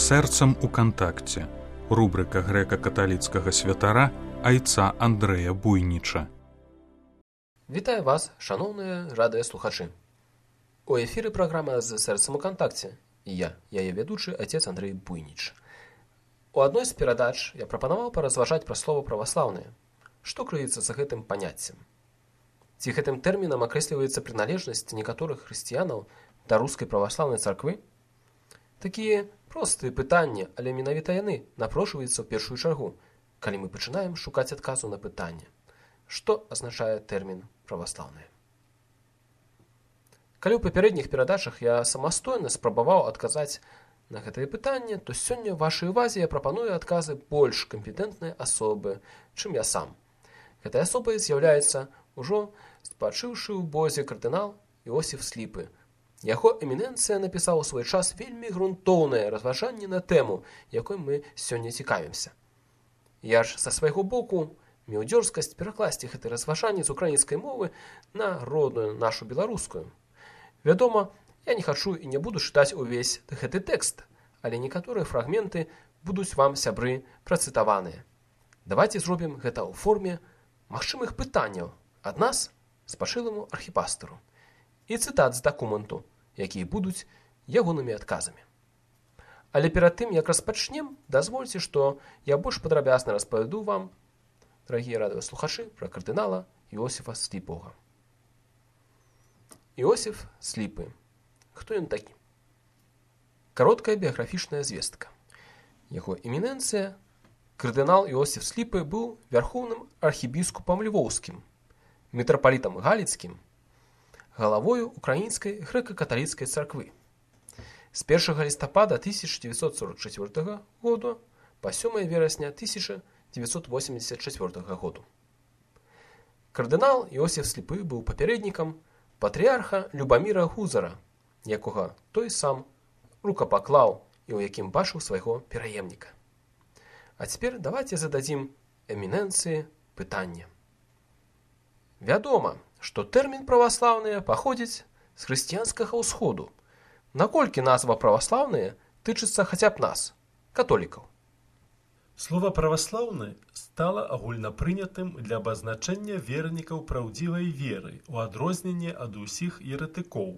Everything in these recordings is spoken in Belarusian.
Сэрцам у кантакце. Рубрика грэка-каталіцкага святара айца Андрэя Буйніча. Вітаю вас, шаноўныя радыёслухачы. У эфіры праграма з сэрцам у кантакце. І я, яе вядучы айцец Андрэй Буйніч. У адной з перадач я прапанаваў паразважаць пра слова праваслаўнае. Што крыецца за гэтым паняццем? Ці гэтым тэрмінам акрэсліваецца прыналежнасць некаторых хрысціянаў да рускай праваслаўнай царквы? Такія простыя пытанні, але менавіта яны напрошваюцца ў першую чаргу, калі мы пачынаем шукаць адказу на пытанне. Што азначае тэрмін праваслаўнае? Калі ў папярэдніх перадачах я самастойна спрабаваў адказаць на гэтае пытанне, то сёння вашай увазе я прапаную адказы больш кампетэнтнай асобы, чым я сам. Гэтай асобай з'яўляецца ўжо спачыўшы ў бозе кардынал Іосіф Сліпы. Яго эмінэнцыя напісаў у свой час вельмі грунтоўнае разважанне на тэму, якой мы сёння цікавімся. Я ж са свайго боку меў дзёрзкасць перакласці гэты разважанне з украінскай мовы на родную нашу беларускую. Вядома, я не хачу і не буду чытаць увесь гэты тэкст, але некаторыя фрагменты будуць вам, сябры, працытаваныя. Давайце зробім гэта ў форме магчымых пытанняў ад нас спачылому архіпастыру і цытат з дакументу, якія будуць ягонымі адказамі. Але перад тым, як распачнем, дазвольце, што я больш падрабязна распавяду вам, дарагія радыёслухачы, пра кардынала Іосіфа Сліпога. Іосіф Сліпы. Хто ён такі? Кароткая біяграфічная звестка. Яго эмінэнцыя, кардынал Іосіф Сліпы, быў вярхоўным архібіскупам львоўскім, мітрапалітам галіцкім, галавою украінскай грэка-каталіцкай царквы. З 1 лістапада 1944 году па 7 верасня 1984 году. Кардынал Іосіф Сліпы быў папярэднікам патрыарха Любаміра Гузара, якога той сам рукапаклаў і ў якім бачыў свайго пераемніка. А цяпер давайце зададзім эмінэнцыі пытанне. Вядома, што тэрмін праваслаўныя паходзіць з хрысціянскага ўсходу. Наколькі назва праваслаўныя тычыцца хаця б нас, католікаў? Слова «праваслаўны» стала агульнапрынятым для абазначэння вернікаў праўдзівай веры ў адрозненне ад усіх еретыкоў,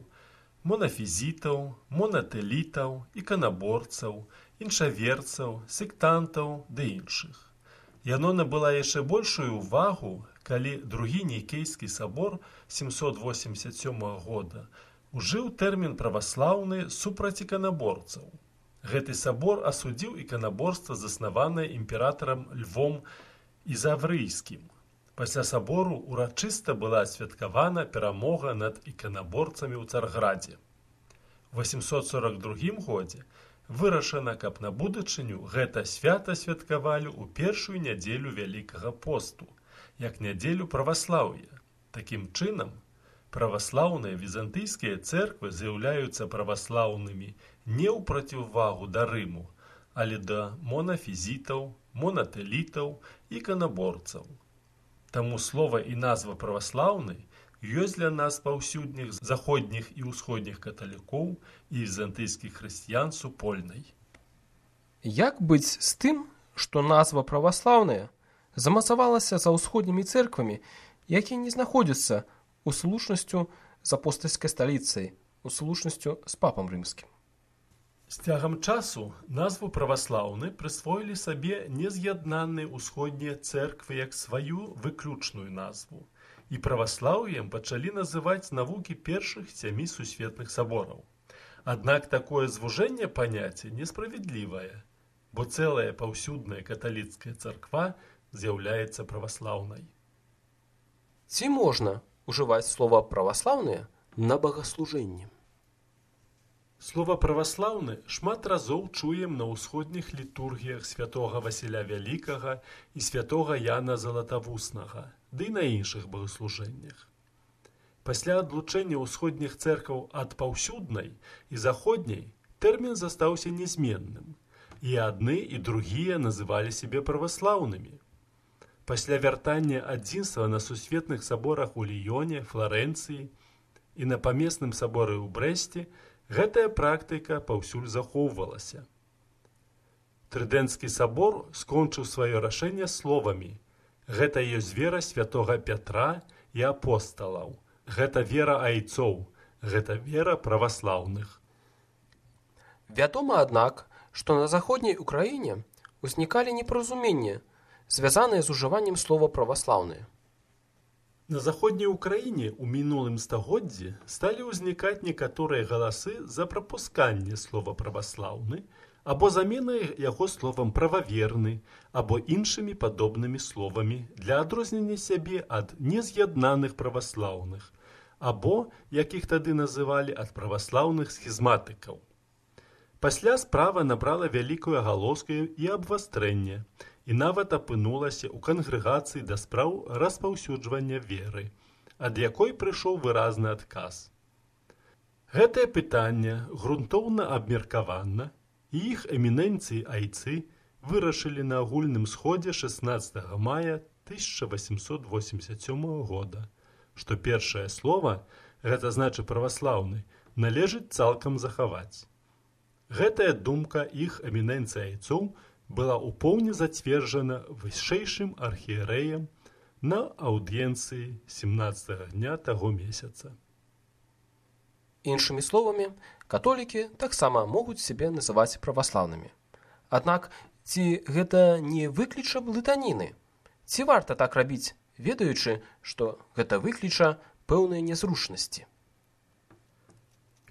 монафізітаў, монатэлітаў, іканаборцаў, іншаверцаў, сектантаў ды іншых. Яно набыла яшчэ большую ўвагу, калі другі Нікейскі сабор 787 года ужыў тэрмін «праваслаўны» супраць іканаборцаў. Гэты сабор асудзіў іканаборства, заснаванае імператарам Львом Ізаврыйскім. Пасля сабору урачыста была асвяткавана перамога над іканаборцамі ў Царградзе. У 842 годзе вырашана, каб на будучыню гэта свята святкавалі ў першую нядзелю Вялікага посту, як нядзелю праваслаўя. Такім чынам, праваслаўныя візантыйскія цэрквы з'яўляюцца праваслаўнымі не ў проціввагу да Рыму, але да монафізітаў, монатэлітаў і іканаборцаў. Таму слова і назва праваслаўны ёсць для нас паўсюдных заходніх і ўсходніх каталікоў і візантыйскіх хрысціян супольнай. Як быць з тым, што назва праваслаўная замацавалася за ўсходнімі цэрквамі, якія не знаходзяцца ў слушнасцю з апостальскай сталіцай, у слушнасцю з папам рымскім? З цягам часу назву праваслаўны прысвоілі сабе нез'яднаныя ўсходнія цэрквы як сваю выключную назву, і праваслаўем пачалі называць навукі першых 7 сусветных сабораў. Аднак такое звужэнне паняцця несправядлівае, бо цэлая паўсюдная каталіцкая царква з'яўляецца праваслаўнай. Ці можна ўжываць слова «праваслаўныя» на багаслужэнні? Слова «праваслаўны» шмат разоў чуем на ўсходніх літургіях святога Васіля Вялікага і святога Яна Залатавуснага, ды і на іншых багаслужэннях. Пасля адлучэння ўсходніх цэркваў ад паўсюднай і заходняй тэрмін застаўся нязменным, і адны і другія называлі сябе праваслаўнымі. Пасля вяртання адзінства на сусветных саборах у Ліёне, Фларэнцыі і на памесным саборы ў Брэсце гэтая практыка паўсюль захоўвалася. Трыдэнцкі сабор скончыў сваё рашэнне словамі: «Гэта ёсць вера святога Пятра і апосталаў. Гэта вера айцоў. Гэта вера праваслаўных». Вядома, аднак, што на заходняй Украіне ўзнікалі непаразуменні, звязаныя з ужываннем слова «праваслаўныя». На заходняй Украіне ў мінулым стагоддзі сталі ўзнікаць некаторыя галасы за прапусканне слова «праваслаўны» або заменай яго словам «прававерны» або іншымі падобнымі словамі для адрознення сябе ад нез'яднаных праваслаўных або, як іх тады называлі, ад праваслаўных схізматыкаў. Пасля справа набрала вялікую агалоску і абвастрэнне, і нават апынулася ў кангрэгацыі да спраў распаўсюджвання веры, ад якой прыйшоў выразны адказ. Гэтае пытанне грунтоўна абмеркавана, і іх эмінэнцыі айцы вырашылі на агульным сходзе 16 мая 1887 года, што першае слова, гэта значы праваслаўны, належыць цалкам захаваць. Гэтая думка іх эмінэнцый айцоў была ўпоўне зацверджана вышэйшым архієрэем на аўдыенцыі 17 дня таго месяца. Іншымі словамі, католікі таксама могуць сябе называць праваслаўнымі. Аднак, ці гэта не выкліча блытаніны? Ці варта так рабіць, ведаючы, што гэта выкліча пэўныя нязручнасці?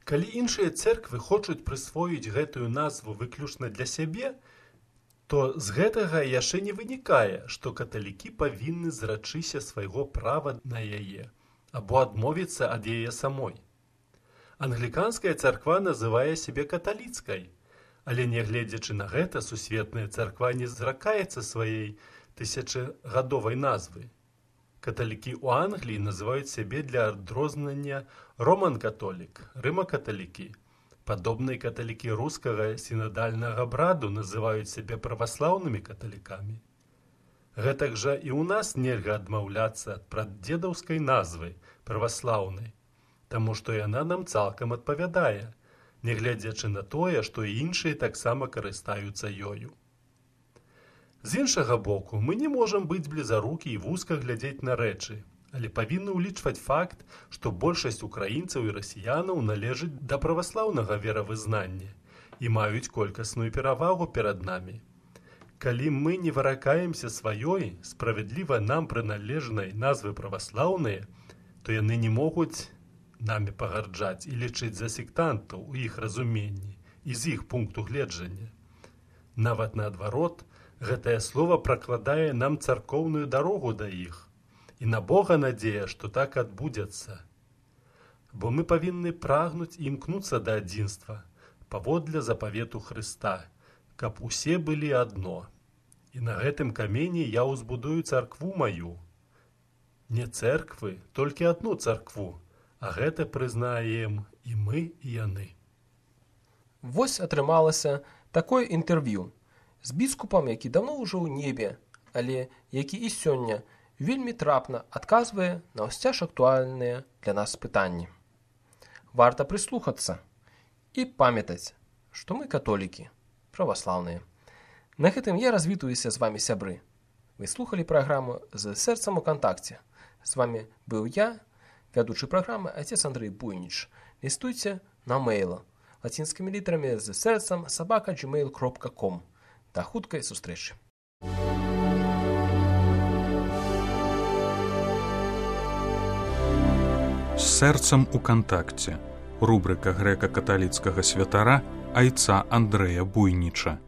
Калі іншыя цэрквы хочуць прысвоіць гэтую назву выключна для сябе, то з гэтага яшчэ не вынікае, што каталікі павінны зрачыся свайго права на яе або адмовіцца ад яе самой. Англіканская царква называе сябе каталіцкай, але нягледзячы на гэта сусветная царква не зракаецца сваёй тысячагадовай назвы. Каталікі ў Англіі называюць сябе для адрознення роман-католік, рыма-каталікі. Падобныя каталікі рускага сінадальнага браду называюць сябе праваслаўнымі каталікамі. Гэтак жа і ў нас нельга адмаўляцца ад прадзедаўскай назвы праваслаўнай, таму што яна нам цалкам адпавядае, нягледзячы на тое, што і іншыя таксама карыстаюцца ёю. З іншага боку, мы не можам быць блізарукі і вузка глядзець на рэчы, але павінны ўлічваць факт, што большасць украінцаў і расіянаў належыць да праваслаўнага веравызнання і маюць колькасную перавагу перад намі. Калі мы не выракаемся сваёй, справядліва нам прыналежнай назвы праваслаўныя, то яны не могуць намі пагарджаць і лічыць за сектантаў у іх разуменні і з іх пункту гледжання. Нават наадварот, гэтае слово пракладае нам царкоўную дарогу да іх, і на Бога надзея, што так адбудзецца. Бо мы павінны прагнуць і імкнуцца да адзінства, паводле запавету Хрыста, каб усе былі адно. І на гэтым камені я ўзбудую царкву маю. Не цэрквы, толькі адну царкву, а гэта прызнаем і мы, і яны. Вось атрымалася такое інтэрв'ю з біскупам, які даўно ўжо ў небе, але які і сёння вельмі трапна адказвае на ўсцяж актуальныя для нас пытанні. Варта прыслухацца і памятаць, што мы католікі, праваслаўныя. На гэтым я развітваюся з вамі, сябры. Вы слухалі праграму «З сэрцам у кантакце». З вамі быў я, вядучы праграмы отец Андрей Буйніч. Лістуйце на мейл лацінскімі літарамі «З сэрцам @gmail.com». До хуткай сустрэчы. З сэрцам у кантакце. Рубрыка грэка-каталіцкага святара айца Андрэя Буйніча.